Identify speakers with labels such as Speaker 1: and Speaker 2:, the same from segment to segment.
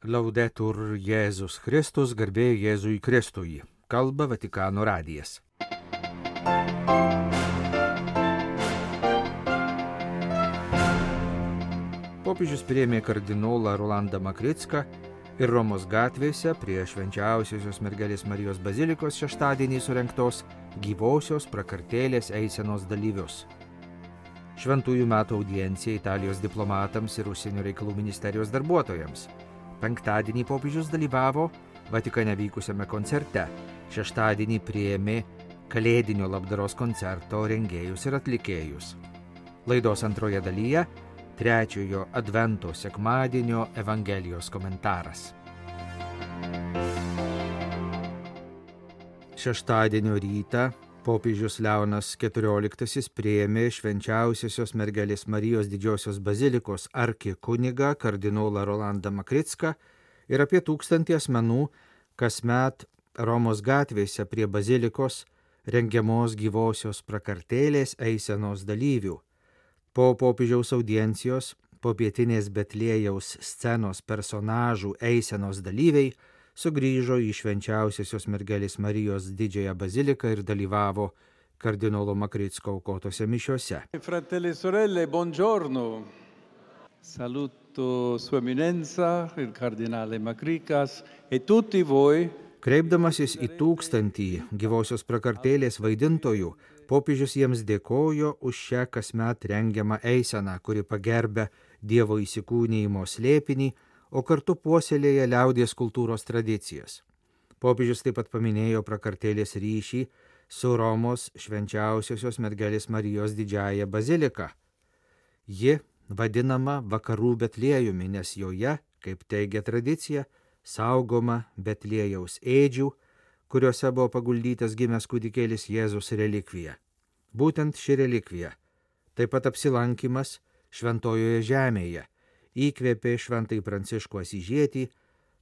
Speaker 1: Laudetur Jėzus Kristus, garbė Jėzui Kristui. Kalba Vatikano radijas. Popiežius priėmė kardinolą Rolandą Makricką ir Romos gatvėse prie Švenčiausiosios mergelės Marijos bazilikos šeštadienį surengtos gyvosios prakartėlės eisenos dalyvius. Šventųjų metų audiencija Italijos diplomatams ir užsienio reikalų ministerijos darbuotojams. Penktadienį popiežius dalyvavo Vatikane vykusiame koncerte. Šeštadienį priėmė kalėdinio labdaros koncerto rengėjus ir atlikėjus. Laidos antroje dalyje trečiojo advento sekmadienio Evangelijos komentaras. Šeštadienio rytą popiežius Leonas XIV priėmė Švenčiausiosios mergelės Marijos didžiosios bazilikos arkikunigą kardinolą Rolandą Makricką ir apie 1000 asmenų kasmet Romos gatvėse prie bazilikos rengiamos gyvosios prakartėlės eisenos dalyvių. Po popiežiaus audiencijos popietinės Betliejaus scenos personažų eisenos dalyviai sugrįžo į Švenčiausiosios mergelės Marijos didžiąją baziliką ir dalyvavo kardinolo Makricko aukotose mišiose.
Speaker 2: Fratelli e sorelle, buongiorno. Saluto Sua Eminenza, il Cardinale Makrickas e tutti voi.
Speaker 1: Kreipdamasis į 1000 gyvosios prakartėlės vaidintojų, popiežius jiems dėkojo už šią kasmet rengiamą eiseną, kuri pagerbia Dievo įsikūnijimo slėpinį, o kartu puoselėja liaudies kultūros tradicijas. Popiežius taip pat paminėjo prakartėlės ryšį su Romos Švenčiausiosios mergelės Marijos didžiąja bazilika. Ji vadinama Vakarų Betliejumi, nes joje, kaip teigia tradicija, saugoma Betliejaus ėdžių, kuriuose buvo paguldytas gimęs kūdikėlis Jėzus relikvija. Būtent ši relikvija, taip pat apsilankimas šventojoje žemėje, įkvėpė šventąjį Pranciškų Asyžietį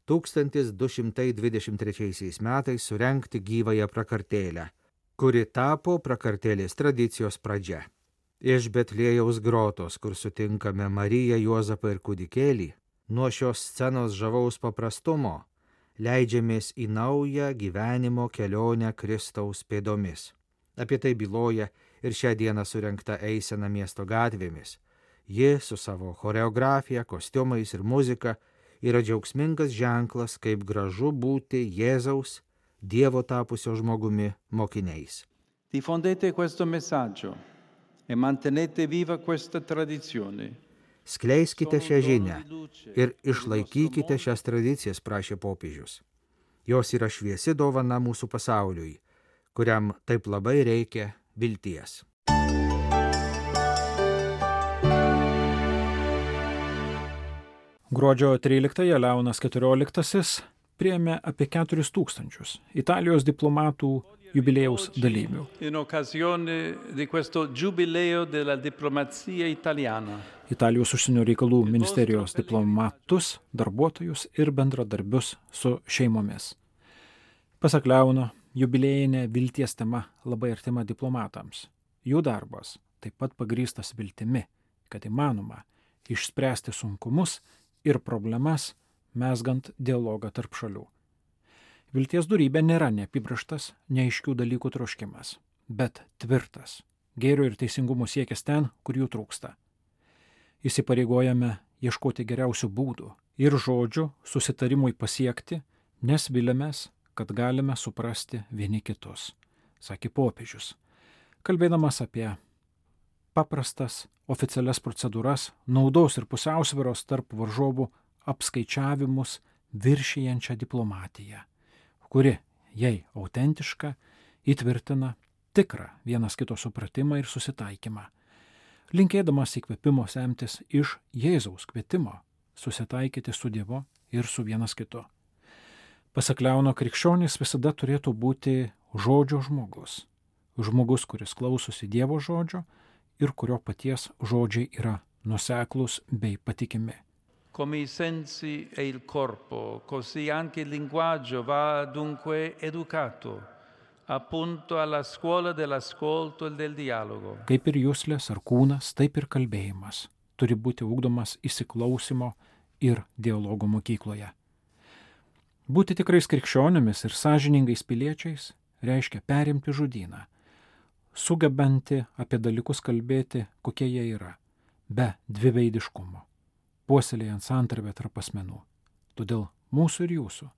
Speaker 1: 1223 metais surengti gyvąją prakartėlę, kuri tapo prakartėlės tradicijos pradžia. Iš Betliejaus grotos, kur sutinkame Mariją, Juozapą ir kūdikėlį, nuo šios scenos žavaus paprastumo leidžiamės į naują gyvenimo kelionę Kristaus pėdomis. Apie tai byloja ir šią dieną surengta eisena miesto gatvėmis. Ji su savo choreografija, kostiumais ir muzika yra džiaugsmingas ženklas, kaip gražu būti Jėzaus, Dievo tapusio žmogumi mokiniais.
Speaker 2: Diffondete questo messaggio e mantenete viva questa tradizione.
Speaker 1: Skleiskite šią žinią ir išlaikykite šias tradicijas, prašė popiežius. Jos yra šviesi dovana mūsų pasauliui, kuriam taip labai reikia vilties.
Speaker 3: Gruodžio 13-ąją Leonas XIV priėmė apie 4000 Italijos diplomatų jubiliejaus dalyvių.
Speaker 2: In occasione di questo giubileo della diplomazia italiana.
Speaker 3: Italijos užsienio reikalų ministerijos diplomatus, darbuotojus ir bendradarbius su šeimomis. Pasak Leono, jubiliejinė vilties tema labai artima diplomatams. Jų darbas taip pat pagrįstas viltimi, kad įmanoma išspręsti sunkumus ir problemas, mezgant dialogą tarp šalių. Vilties dorybė nėra neapibrėžtas, neaiškių dalykų troškimas, bet tvirtas, gėrio ir teisingumo siekis ten, kur jų trūksta. Įsipareigojame ieškoti geriausių būdų ir žodžių susitarimui pasiekti, nes viliamės, kad galime suprasti vieni kitus, sakė popiežius, kalbėdamas apie paprastas oficialias procedūras, naudos ir pusiausvyros tarp varžovų apskaičiavimus viršijančią diplomatiją, kuri, jei autentiška, įtvirtina tikrą vienas kito supratimą ir susitaikymą, linkėdamas įkvėpimo semtis iš Jėzaus kvietimo susitaikyti su Dievu ir su vienas kitu. Pasak Leono, krikščionis visada turėtų būti žodžio žmogus. Žmogus, kuris klausosi Dievo žodžio ir kurio paties žodžiai yra nuoseklūs bei patikimi.
Speaker 2: Come i sensi e il corpo, così anche il linguaggio va dunque educato, appunto alla scuola dell'ascolto e del dialogo.
Speaker 3: Kaip ir juslės ar kūnas, taip ir kalbėjimas turi būti ugdomas įsiklausimo ir dialogo mokykloje. Būti tikrais krikščionimis ir sąžiningais piliečiais reiškia perimti žodyną, sugebanti apie dalykus kalbėti, kokie jie yra, be dviveidiškumo, puoselėjant santarvę tarp asmenų. Todėl mūsų ir jūsų,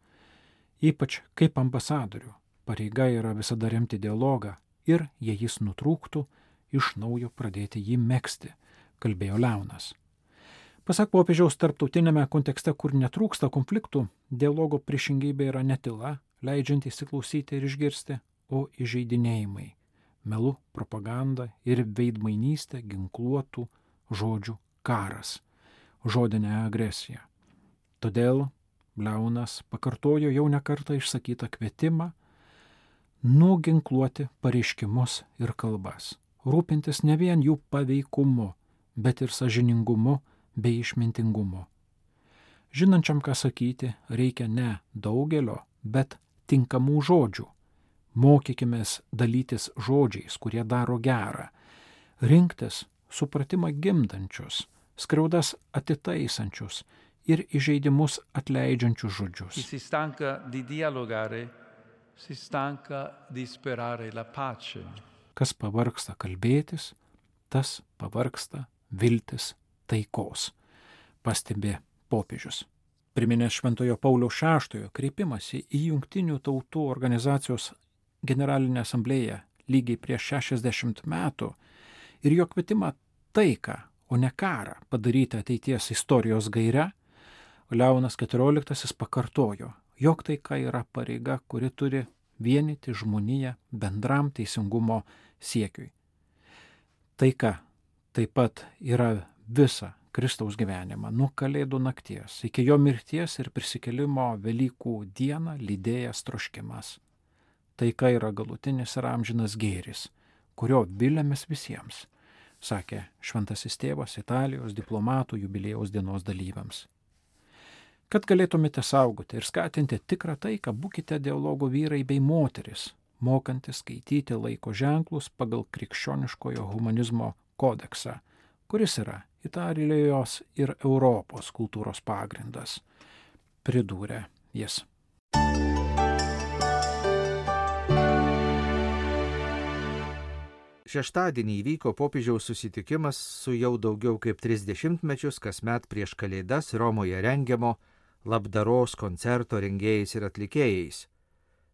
Speaker 3: ypač kaip ambasadorių, pareiga yra visada remti dialogą ir, jei jis nutrūktų, iš naujo pradėti jį megzti, kalbėjo Leonas. Pasak popiežiaus, tarptautinėme kontekste, kur netrūksta konfliktų, dialogo priešingybė yra ne tyla, leidžiant įsiklausyti ir išgirsti, o įžeidinėjimai, melu, propaganda ir veidmainystė, ginkluotų žodžių karas, žodinė agresija. Todėl Leonas pakartojo jau nekartą išsakytą kvietimą nuginkluoti pareiškimus ir kalbas, rūpintis ne vien jų paveikumu, bet ir sąžiningumu bei išmintingumu. Žinančiam, ką sakyti, reikia ne daugelio, bet tinkamų žodžių. Mokykimės dalytis žodžiais, kurie daro gerą, rinktis supratimą gimdančius, skriaudas atitaisančius ir įžeidimus atleidžiančius žodžius.
Speaker 2: Chi si stanca di dialogare, si stanca di sperare la pace.
Speaker 3: Kas pavargsta kalbėtis, tas pavargsta viltis taikos, pastebė popiežius. Priminęs Šventojo Pauliaus VI kreipimąsi į Jungtinių tautų organizacijos generalinę asamblėją lygiai prieš 60 metų ir jo kvietimą taiką, o ne karą padaryti ateities istorijos gaire, Leonas XIV pakartojo, jog taika yra pareiga, kuri turi vienyti žmoniją bendram teisingumo siekiui. Taika taip pat yra visa Kristaus gyvenimą nuo Kalėdų nakties iki jo mirties ir prisikėlimo Velykų dieną lydėjęs troškimas. Taika yra galutinis ir amžinas gėris, kurio viliamės visiems, sakė Šventasis Tėvas Italijos diplomatų jubiliejaus dienos dalyviams. Kad galėtumėte saugoti ir skatinti tikrą taiką, būkite dialogo vyrai bei moteris, mokantis skaityti laiko ženklus pagal krikščioniškojo humanizmo kodeksą, kuris yra Italijos ir Europos kultūros pagrindas, pridūrė jis.
Speaker 1: Šeštadienį įvyko popiežiaus susitikimas su jau daugiau kaip 30 mečius kasmet prieš Kalėdas Romoje rengiamo labdaros koncerto rengėjais ir atlikėjais.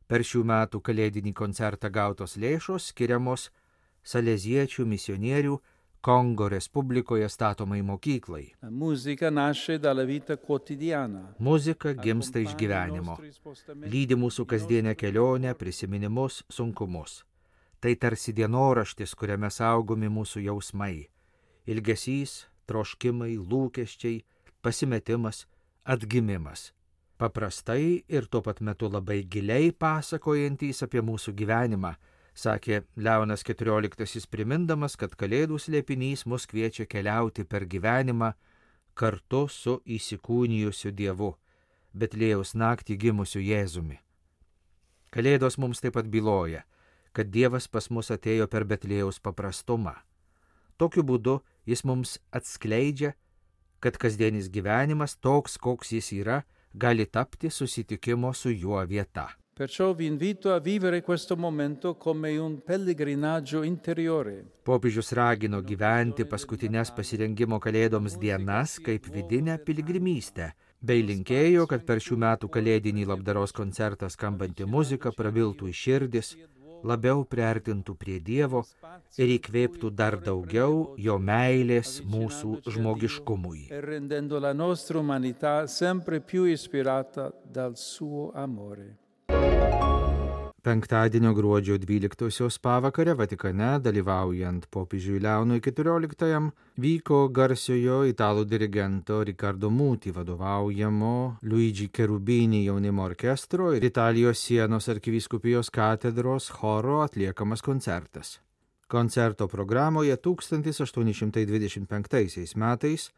Speaker 1: Per šių metų kalėdinį koncertą gautos lėšos skiriamos saleziečių misionierių Kongo Respublikoje statomai mokyklai. Muzika gimsta iš gyvenimo, lydi mūsų kasdienę kelionę, prisiminimus, sunkumus. Tai tarsi dienoraštis, kuriame saugomi mūsų jausmai, ilgesys, troškimai, lūkesčiai, pasimetimas, atgimimas. Paprastai ir tuo pat metu labai giliai pasakojantys apie mūsų gyvenimą, sakė Leonas XIV, primindamas, kad Kalėdų slėpinys mus kviečia keliauti per gyvenimą kartu su įsikūnijusiu Dievu, Betliejaus naktį gimusiu Jėzumi. Kalėdos mums taip pat byloja, kad Dievas pas mus atėjo per Betliejaus paprastumą. Tokiu būdu jis mums atskleidžia, kad kasdienis gyvenimas toks, koks jis yra, gali tapti susitikimo su juo vieta.
Speaker 2: Perciò vi invito a vivere questo momento come un pellegrinaggio interiore.
Speaker 1: Popiežius ragino gyventi paskutinės pasirengimo Kalėdoms dienas kaip vidinę piligrimystę, bei linkėjo, kad per šių metų kalėdinį labdaros koncertą skambanti muzika prabiltų į širdis, labiau priartintų prie Dievo ir įkvėptų dar daugiau jo meilės mūsų žmogiškumui.
Speaker 2: Rendendo la nostra umanità sempre più ispirata dal suo amore.
Speaker 1: Penktadienio gruodžio 12-osios pavakare Vatikane, dalyvaujant popiežiui Leonui XIV, vyko garsiojo italų dirigento Riccardo Muti vadovaujamo Luigi Cherubini jaunimo orkestro ir Italijos Sienos arkivyskupijos katedros choro atliekamas koncertas. Koncerto programoje 1825 metais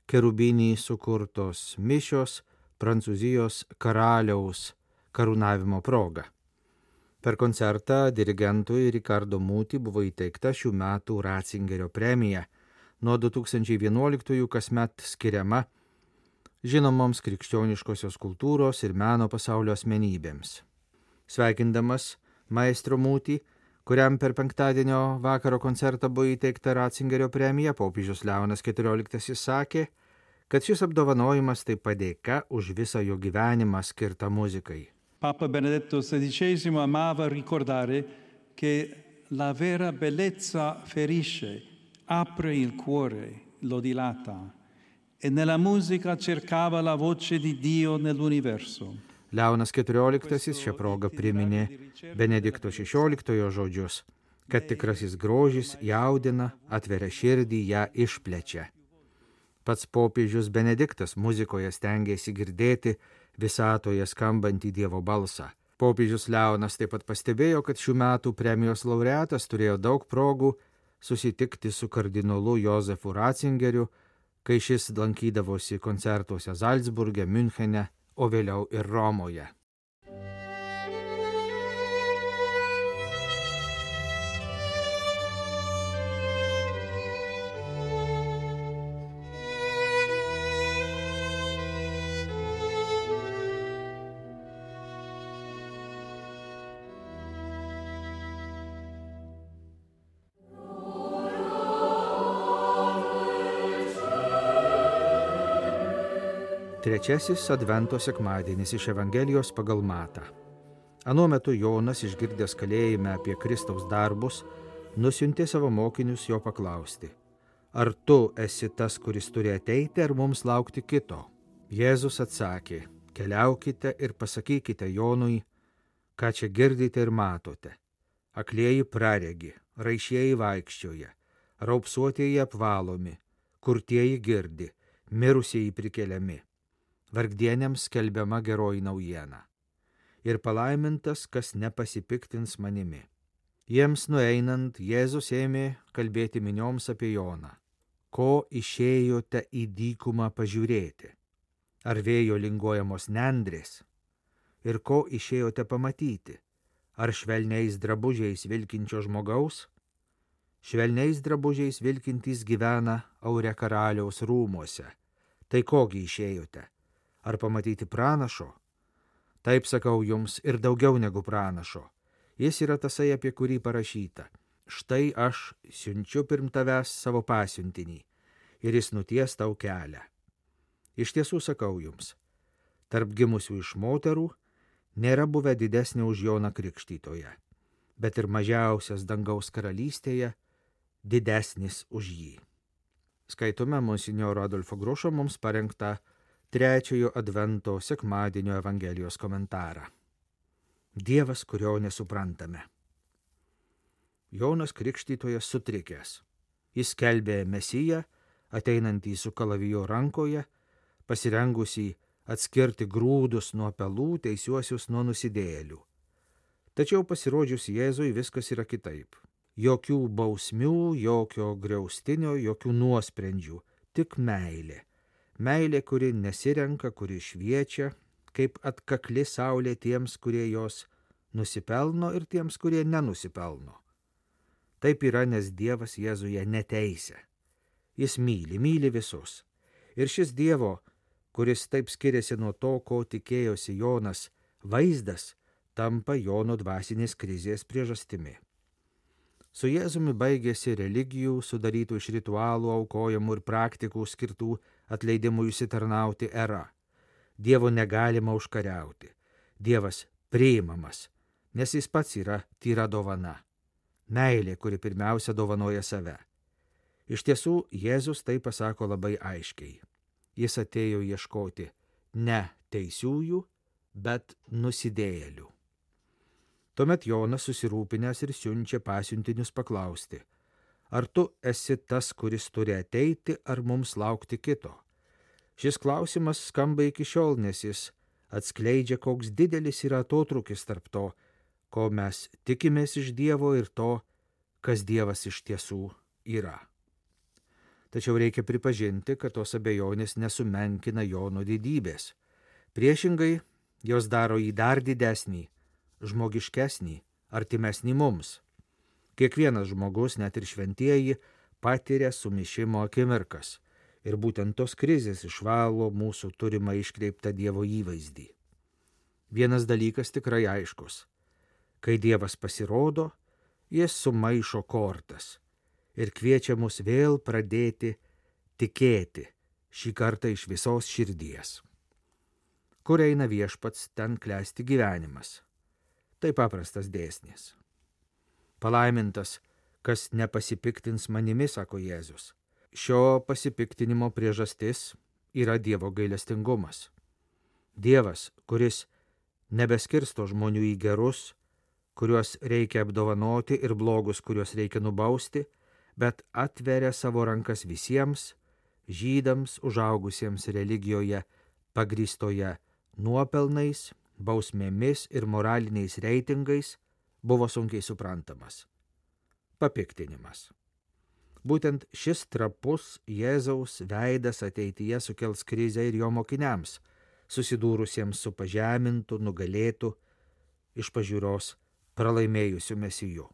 Speaker 1: Cherubini sukurtos mišios Prancūzijos karaliaus karūnavimo proga. Per koncertą dirigentui Riccardo Muti buvo įteikta šių metų Ratzingerio premija, nuo 2011 kasmet skiriama žinomoms krikščioniškosios kultūros ir meno pasaulio asmenybėms. Sveikindamas maestro Mūtį, kuriam per penktadienio vakaro koncertą buvo įteikta Ratzingerio premija, popiežius Leonas XIV sakė, kad šis apdovanojimas tai padėka už visą jo gyvenimą skirtą muzikai.
Speaker 4: Papa Benedetto XVI amava ricordare che la vera bellezza ferisce, apre il cuore, lo dilata, e nella musica cercava la voce di Dio nell'universo.
Speaker 1: Leonas XIV šią progą priminė Benedikto XVI žodžius, kad tikrasis grožis jaudina, atveria širdį, ją išplečia. Pats popiežius Benediktas muzikoje stengėsi girdėti visatoje skambantį Dievo balsą. Popiežius Leonas taip pat pastebėjo, kad šių metų premijos laureatas turėjo daug progų susitikti su kardinolu Jozefu Ratzingeriu, kai šis lankydavosi koncertuose Zalcburge, Münchene, o vėliau ir Romoje. Trečiasis Advento sekmadienis iš Evangelijos pagal Matą. Anuo metu Jonas, išgirdęs kalėjime apie Kristaus darbus, nusiuntė savo mokinius jo paklausti: ar tu esi tas, kuris turi ateiti, ar mums laukti kito? Jėzus atsakė: keliaukite ir pasakykite Jonui, ką čia girdite ir matote. Aklieji praregi, raišieji vaikščioja, raupsuotieji apvalomi, kurtieji girdi, mirusieji prikeliami. Vargdieniams skelbiama geroji naujiena. Ir palaimintas, kas nepasipiktins manimi. Jiems nueinant, Jėzus ėmė kalbėti minioms apie Joną. Ko išėjote į dykumą pažiūrėti? Ar vėjo linguojamos nendrės? Ir ko išėjote pamatyti? Ar švelniais drabužiais vilkinčio žmogaus? Švelniais drabužiais vilkintys gyvena Aure karaliaus rūmuose. Tai kogi išėjote? Ar pamatyti pranašo? Taip sakau jums, ir daugiau negu pranašo. Jis yra tasai, apie kurį parašyta: štai aš siunčiu pirm tavęs savo pasiuntinį, ir jis nuties tau kelią. Iš tiesų sakau jums, tarp gimusių iš moterų nėra buvę didesnė už Joną Krikštytoją, bet ir mažiausias dangaus karalystėje didesnis už jį. Skaitome monsinjoro Adolfo Grušo mums parengtą trečiojo Advento sekmadienio Evangelijos komentarą. Dievas, kurio nesuprantame. Jonas Krikštytojas sutrikęs. Jis skelbė Mesiją, ateinantį su kalavijo rankoje, pasirengusį atskirti grūdus nuo pelų, teisiuosius nuo nusidėjėlių. Tačiau pasirodžius Jėzui viskas yra kitaip. Jokių bausmių, jokio griaustinio, jokių nuosprendžių, tik meilė. Meilė, kuri nesirenka, kuri šviečia, kaip atkakli saulė tiems, kurie jos nusipelno, ir tiems, kurie nenusipelno. Taip yra, nes Dievas Jėzuje neteisia. Jis myli visus. Ir šis Dievo, kuris taip skiriasi nuo to, ko tikėjosi Jonas, vaizdas tampa Jono dvasinės krizės priežastimi. Su Jėzumi baigėsi religijų, sudarytų iš ritualų, aukojimų ir praktikų skirtų atleidimui užsitarnauti era. Dievo negalima užkariauti. Dievas priimamas, nes jis pats yra tyra dovana. Meilė, kuri pirmiausia dovanoja save. Iš tiesų, Jėzus tai pasako labai aiškiai. Jis atėjo ieškoti ne teisiųjų, bet nusidėjėlių. Tuomet Jonas susirūpinęs ir siunčia pasiuntinius paklausti: ar tu esi tas, kuris turi ateiti, ar mums laukti kito? Šis klausimas skamba iki šiol, nes jis atskleidžia, koks didelis yra atotrūkis tarp to, ko mes tikimės iš Dievo, ir to, kas Dievas iš tiesų yra. Tačiau reikia pripažinti, kad tos abejonės nesumenkina Jono didybės. Priešingai, jos daro jį dar didesnį, žmogiškesnį, artimesnį mums. Kiekvienas žmogus, net ir šventieji, patiria sumišimo akimirkas. Ir būtent tos krizės išvalo mūsų turimą iškreiptą Dievo įvaizdį. Vienas dalykas tikrai aiškus. Kai Dievas pasirodo, jis sumaišo kortas ir kviečia mus vėl pradėti tikėti, šį kartą iš visos širdies. Kur eina viešpats, ten klesti gyvenimas. Tai paprastas dėsnis. Palaimintas, kas nepasipiktins manimi, sako Jėzus. Šio pasipiktinimo priežastis yra Dievo gailestingumas. Dievas, kuris nebeskirsto žmonių į gerus, kuriuos reikia apdovanoti, ir blogus, kuriuos reikia nubausti, bet atveria savo rankas visiems, žydams užaugusiems religijoje pagrįstoje nuopelnais, bausmėmis ir moraliniais reitingais, buvo sunkiai suprantamas. Papiktinimas. Būtent šis trapus Jėzaus veidas ateityje sukels krizę ir jo mokiniams, susidūrusiems su pažemintu, nugalėtu, iš pažiūros pralaimėjusiu mesiju.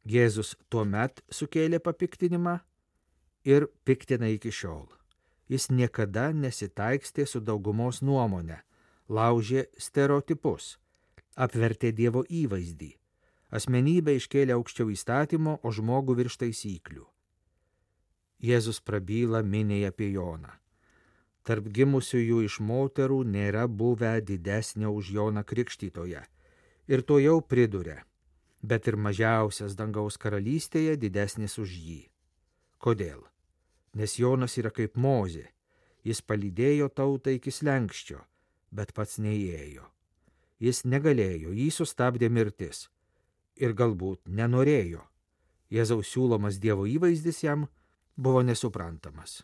Speaker 1: Jėzus tuomet sukėlė papiktinimą ir piktina iki šiol. Jis niekada nesitaikstė su daugumos nuomonė, laužė stereotipus, apvertė Dievo įvaizdį, asmenybę iškėlė aukščiau įstatymo, o žmogų virš taisyklių. Jėzus prabyla miniai apie Joną. Tarp gimusiųjų iš moterų nėra buvę didesnio už Joną Krikštytoją. Ir to jau priduria, bet ir mažiausias dangaus karalystėje didesnis už jį. Kodėl? Nes Jonas yra kaip Mozė. Jis palydėjo tautą iki slenksčio, bet pats neįėjo. Jis negalėjo, jį sustabdė mirtis. Ir galbūt nenorėjo. Jėzaus siūlomas Dievo įvaizdis jam buvo nesuprantamas.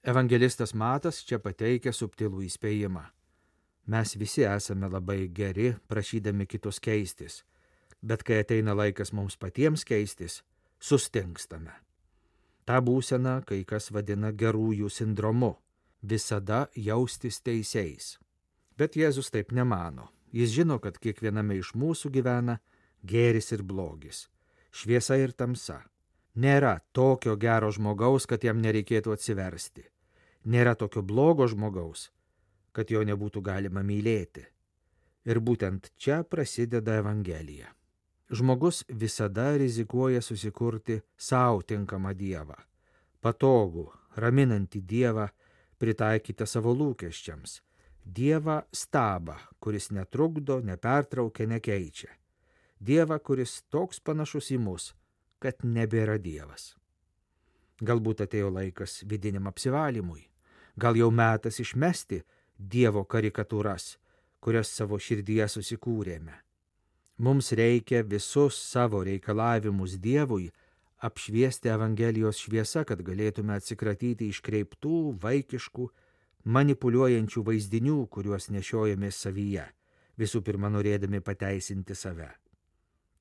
Speaker 1: Evangelistas Matas čia pateikia subtilų įspėjimą. Mes visi esame labai geri, prašydami kitus keistis, bet kai ateina laikas mums patiems keistis, sustingstame. Ta būsena kai kas vadina gerųjų sindromu, visada jaustis teisiais. Bet Jėzus taip nemano. Jis žino, kad kiekviename iš mūsų gyvena gėris ir blogis, šviesa ir tamsa. Nėra tokio gero žmogaus, kad jam nereikėtų atsiversti. Nėra tokio blogo žmogaus, kad jo nebūtų galima mylėti. Ir būtent čia prasideda Evangelija. Žmogus visada rizikuoja susikurti savo tinkamą Dievą, patogų, raminantį Dievą, pritaikytą savo lūkesčiams, Dievą stabą, kuris netrukdo, nepertraukia, nekeičia, Dievą, kuris toks panašus į mus, kad nebėra Dievas. Galbūt atėjo laikas vidiniam apsivalymui, gal jau metas išmesti Dievo karikatūras, kurias savo širdyje susikūrėme. Mums reikia visus savo reikalavimus Dievui apšviesti Evangelijos šviesa, kad galėtume atsikratyti iškreiptų, vaikiškų, manipuliuojančių vaizdinių, kuriuos nešiojame savyje, visų pirma norėdami pateisinti save.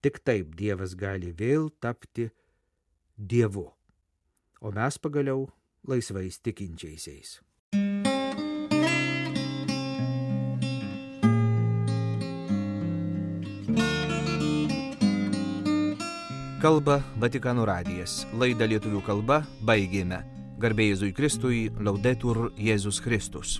Speaker 1: Tik taip Dievas gali vėl tapti Dievu, o mes pagaliau laisvais tikinčiaisiais. Kalba Vatikano radijas. Laidą lietuvių kalba baigėme. Garbė Jėzui Kristui, Laudetur Jėzus Kristus.